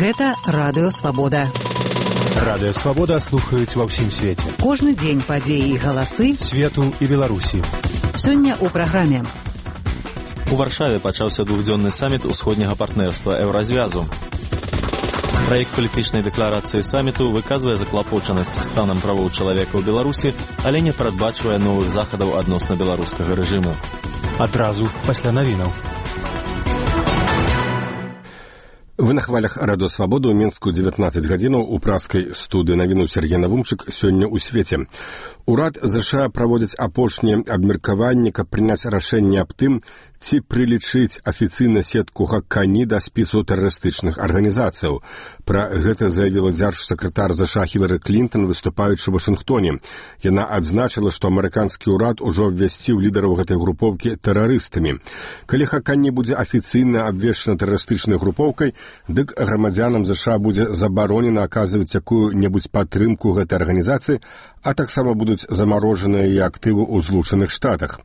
Гэта Радыё Свабода. Радыё Свабода слухаюць ва ўсім свеце. Кожны дзень падзеі і галасы свету і Беларусі. Сёння ў праграме. У Варшаве пачаўся двухдзённы саміт усходняга партнерства Еўразвязу. Праект палітычнай дэкларацыі саміту выказвае заклапочанасць станам правоў чалавека ў Беларусі, але не прадбачвае новых захадаў адносна беларускага рэжыму. Адразу пасля навінаў. Вы на хвалях Радыё Свабода ў Мінску 19 гадзінаў у праскай студыі навіну Сергей Навумчык сёння ў свеце. Урад ЗША праводзіць апошнія абмеркаванні, каб прыняць рашэнне аб тым, ці прылічыць афіцыйна сетку Хакані да спісу тэрарыстычных арганізацыяў. Пра гэта заявіла дзяржсакратар ЗША Хілары Клінтон, выступаючы ў Вашынгтоне. Яна адзначыла, што амерыканскі ўрад ужо абвясціў лідараў гэтай групоўкі тэрарыстамі. Калі Хакані будзе афіцыйна абвешчана тэрарыстычнай групоўкай, дык грамадзянам ЗША будзе забаронена аказваць якую-небудзь падтрымку гэтай арганізацыі, а таксама будуць замарожаныя яе актывы ў Злучаных Штатах.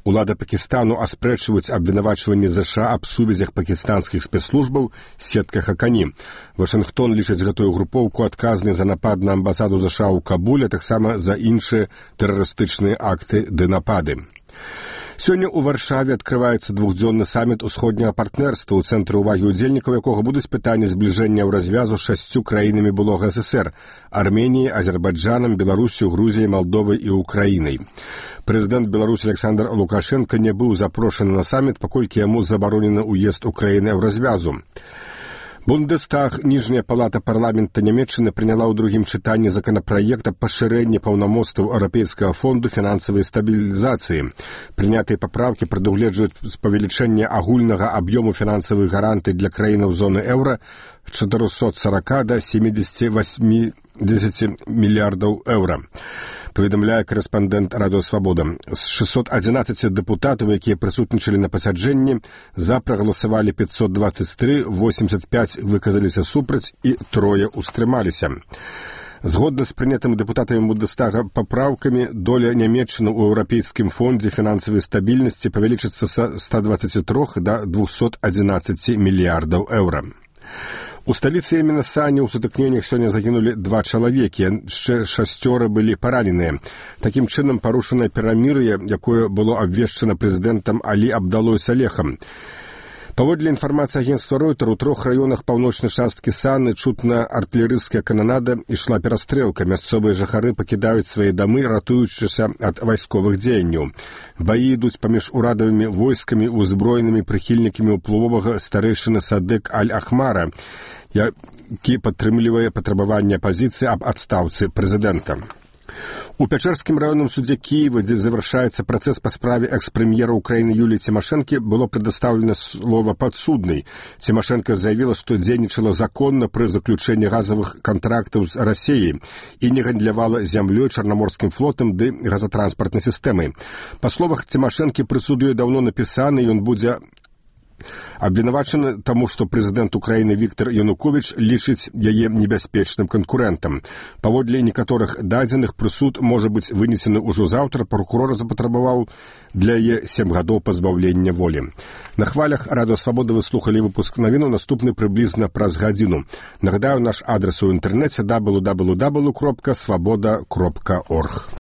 Улада Пакістану аспрэчваюць абвінавачванні ЗША аб сувязях пакістанскіх спецслужбаў з сеткай Хакані. Вашынгтон лічыць гэтую групоўку адказнай за напад на амбасаду ЗША ў Кабуле, таксама за іншыя тэрарыстычныя акты ды напады. Сёння ў Варшаве адкрываецца двухдзённы саміт усходняга партнерства, у цэнтры ўвагі ўдзельнікаў якога будуць пытанні збліжэння ў развязу з 6 краінамі былога ССР – Арменіяй, Азербайджанам, Беларусю, Грузіяй, Малдовай і Украінай. Прэзідэнт Беларусі Александр Лукашенко не быў запрошаны на саміт, паколькі яму забаронены ўезд Украіны ў развязу. Бундестаг, ніжняя палата парламента Нямецчыны, прыняла ў другім чытанні законапраект аб пашырэнні паўнамоцтваў Еўрапейскага фонду фінансавай стабілізацыі. Прынятыя папраўкі прадугледжваюць павелічэнне агульнага аб'ёму фінансавых гарантый для краінаў зоны еўра 440 до 78 мільярдаў еўра. Паведамляе корэспандэнт Радыё Свабода. З 611 дэпутатаў, якія прысутнічалі на пасяджэнні, за прагаласавалі 523, 85 выказаліся супраць і 3 устрымаліся. Згодна з прынятымі дэпутатамі Бундестага папраўкамі, доля Нямецчыны ў Еўрапейскім фондзе фінансавай стабільнасці павялічыцца са 123 до 211 мільярдаў еўра. У сталіцы Йемена Сані ў сутыкненнях сёння загінулі 2 чалавекі, яшчэ 6 былі параненыя. Такім чынам парушанае перамір'е, якое было абвешчана прэзідэнтам Алі Абдалой Салехам. Паводле інфармацыі агенцтва Ройтер, у 3 раёнах паўночнай часткі Саны чутна артылерыйская кананада, ішла перастрэлка. Мясцовыя жыхары пакідаюць свае дамы, ратуючыся ад вайсковых дзеянняў. Баі ідуць паміж урадавымі войскамі і узброенымі прыхільнікамі ўплывовага старэйшыны Садык Аль-Ахмара, які падтрымлівае патрабаванне апазіцыі аб адстаўцы прэзідэнта. У Пячэрскім раённым судзе Кіева, дзе завяршаецца працэс па справе экс-прэм'ера Украіны Юліі Цімашэнкі, было прадастаўлена слова падсуднай. Цімашэнка заявіла, што дзейнічала законна пры заключэнні газавых кантрактаў з Расіяй і не гандлявала зямлёй, Чарнаморскім флотам ды газатранспартнай сістэмай. Па словах Цімашэнкі, прысуд ёй даўно напісаны, ён будзе абвінавачаны таму, што прэзідэнт Украіны Віктор Януковіч лічыць яе небяспечным канкурэнтам. Паводле некаторых дадзеных, прысуд можа быць вынесены ўжо заўтра. Пракурор запатрабаваў для яе 7 гадоў пазбаўлення волі. На хвалях Радыё Свабода вы слухалі выпуск навінаў, наступны прыблізна праз гадзіну. Нагадаю, наш адрес у інтэрнэце www.swaboda.org.